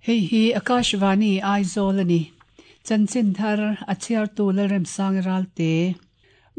Hei hi Akashvani Aizawl a ni. Chanchin thar a chhiartu Lalremsangi Ralte.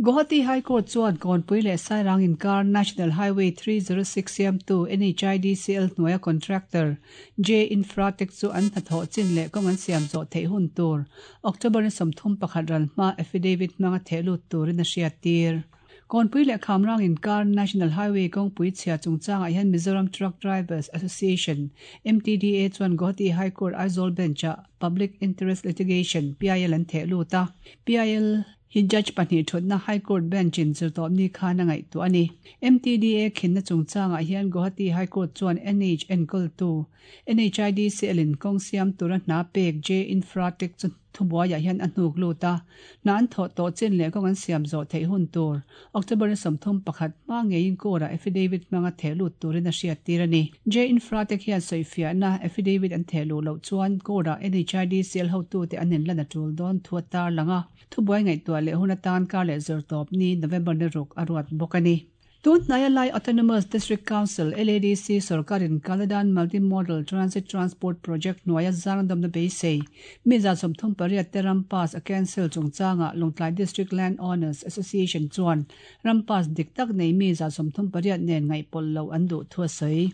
Guwahati High Court chuan Kawnpui leh Sairang inkar National Highway 306 siamtu NHIDCL hnuaia contractor J Infratech chu an hnathawh chin leh kawng an siam zawh theih hun tur October ni 31 ral hma affidavit hmanga theh lut turin a hriattir. Kawnpui leh Khamrang inkar National Highway kawngpui chhia chungchangah hian Mizoram Truck Drivers Association, MTDA, chuan Guwahati High Court Aizawl Bench-ah Public Interest Litigation, PIL, an theh lut a. PIL hi Judge pahnih thutna High Court Bench-in zirtawpni khan a ngaihtuah a ni. MTDA khinna chungchangah hian Guwahati High Court chuan NH enkawltu NHIDCL-in kawng siam tura hna pek J Infratech chu thubuaiah hian a hnuk lut a, hna an thawh tawh chin leh kawng an siam zawh theih hun tur October ni 31 hma ngeiin court-ah affidavit hmanga theh lut turin a hriattir a ni. J Infratech hian sawifiahna affidavit an theh luh loh chuan court-ah NHIDCL hotute an inlan a tul dawn thu a tarlang a, thubuai ngaihtuah leh hun atan kar leh zawrtawp ni November ni ruk a ruat bawk a ni. Tun hnaia Lai Autonomous District Council, LADC, sorkarin Kaladan Multi-Modal Transit Transport Project hnuaia zangdawmna beisei mi 38 te ram pass a cancel chungchangah Lawngtlai District Land Owners Association chuan ram pass dik tak nei mi 38 nen ngaihpawlh loh an duh thu a sawi.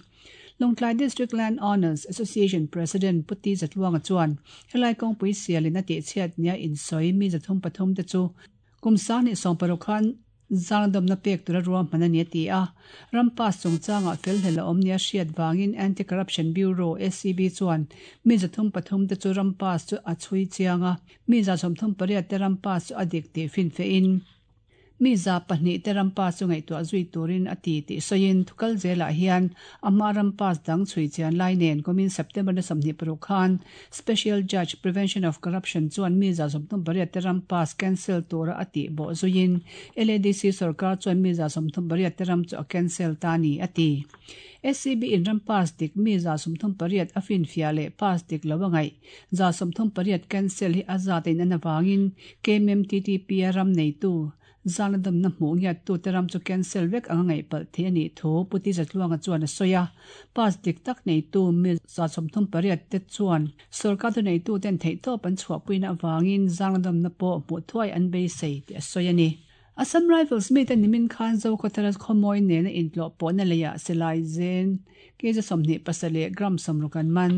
Lawngtlai District Land Owners Association President Pu Ti Zatluanga chuan helai kawngpui sialin a tihchhiat nia insawi mi 33 te chu kum 2016 khan zangdawmna pek tura ruahman a ni a ti a. Ram pass chungchangah felhlel a awm nia hriat vangin Anti-Corruption Bureau, ACB, chuan mi 33 te chu ram pass chu a chhui chiang a, mi 38 te ram pass chu a dik tih finfehin mi 2 te ram pass chu ngaihtuah zui turin a ti tih sawiin thukal zelah hian a hma ram pass dang chhui chian lai nen kumin September ni 26 khan Special Judge Prevention of Corruption chuan mi 38 te ram pass cancel tura a tih bawh zuiin LADC sarkar chuan mi 38 te ram chu a cancel ta ni a ti. ACB in ram pass dik mi 38 a finfia leh pass dik lo angai 38 cancel hi a zat in an awangin KMMTTP a ram nei tu zanadam na hmu ngiat tu te ram chu cancel vek anga ngai pal the ani thu puti zatluanga chuan a soya pass dik tak nei tu mi 38 te chuan sarkar tu nei tu ten thei to pan chhuah puina awangin zanadam na pawh hmu thuai an beisei ti a soya ni. Assam Rifles mi te nimin khan zo khawthara khawmawi nena intlawh pawhna leiah silai zen kg 27 gram 60 an man.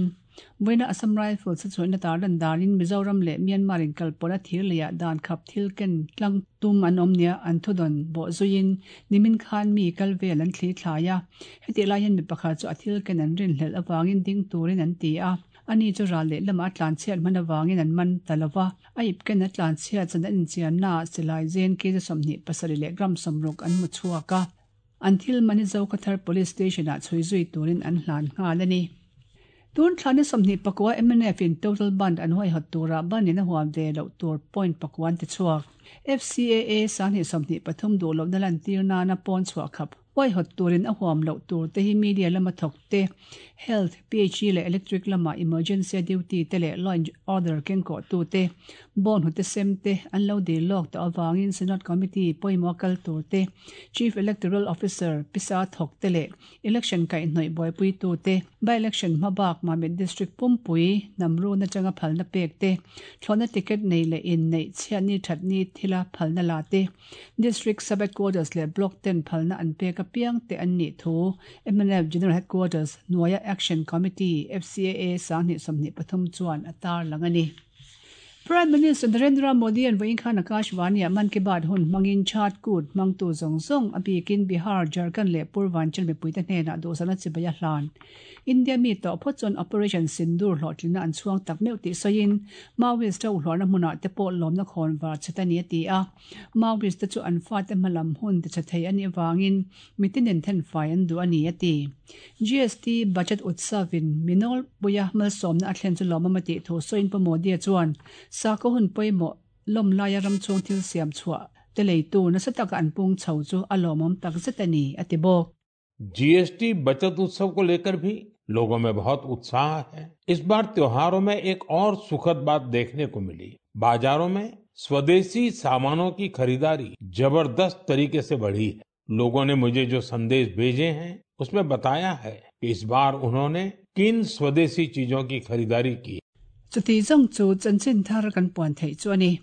Vawiina Assam Rifles a chhuahna tarlan danin Mizoram leh Myanmar in kalpawhna thir leiah dan khap thil ken tlang tum an awm nia an thudawn bawh zuiin nimin khan mi kal vel an thli thlai a. Heti lai hian mi pakhat chu a thil ken an rinhlelh awangin ding turin an ti a. Ani chu ral leh lamah a tlan chhiat hman awangin an man ta lova. A ip ken a tlan chhiat chan an inchianna silai zen kg 27 leh gram 60 an mu chhuak a. An thil mani zo Khathar Police Station ah chhui zui turin an hlan nghal a ni. Tun thla ni 29 MNF in total band an huai hot tura ban in a huam ve loh tur point pakuan ti chhuak. FCAA 2023 duh lohna lan tir nana pawn chhuah khap huai hot turin a huam loh tur te hi media lama thawk te health PHE leh electric lama emergency duty te leh law and order kengkawh tu te bon hu te sem te an lo dil lawk ta awangin Senate Committee pawimawh kal tur te Chief Electoral Officer pisa thawk te leh election kai hnoi buaipui tu te by election hmabak Mamit District Pumpui namru na changa phalna pek te thlona ticket nei le in nei chhiat ni that ni thila phalna la te District Sub Headquarters le Block 10 phalna an pek apiang te an ni thu MNF General Headquarters Nuaya Action Committee FCAA 2023 chuan atar langani. Prime Minister Narendra Modi an vawiin khan Akashvani ah Mann Ki Baat hun hmangin Chhat Kut hmangtu zawng zawng a bikin Bihar, Jharkhand leh Purvanchal mipui te hnenah duhsakna chibai a hlan. India mi tawh phawt chuan Operation Sindoor hlawhtlinna an chhuang tak meuh tih sawiin Maoist ho hluarna hmunah te pawh lawmna khawn var chhet a ni a ti a. Maoist te chu an fate hmalam hun ti chhe thei a nih avangin mitinin thenfai an duh a ni a ti. GST budget utsavin minol puia malsawmna a thlen chu lawmawm a tih thu sawiin Pu Modi chuan sakhaw hun pawimawh lawm laia ram chhung thil siam chhuah te leitu nasa taka an pung chho chu a lawmawm tak zet a ni a ti bawk. GST बचत उत्सव को लेकर भी लोगों में बहुत उत्साह है। इस बार त्योहारों में एक और सुखद बात देखने को मिली। बाजारों में स्वदेशी सामानों की खरीदारी जबरदस्त तरीके से बढ़ी है। लोगों ने मुझे जो संदेश भेजे हैं, उसमें बताया है कि इस बार उन्होंने किन स्वदेशी चीजों की खरीदारी की। Chuti zawng chu chanchin thar kan puan theih chu a ni.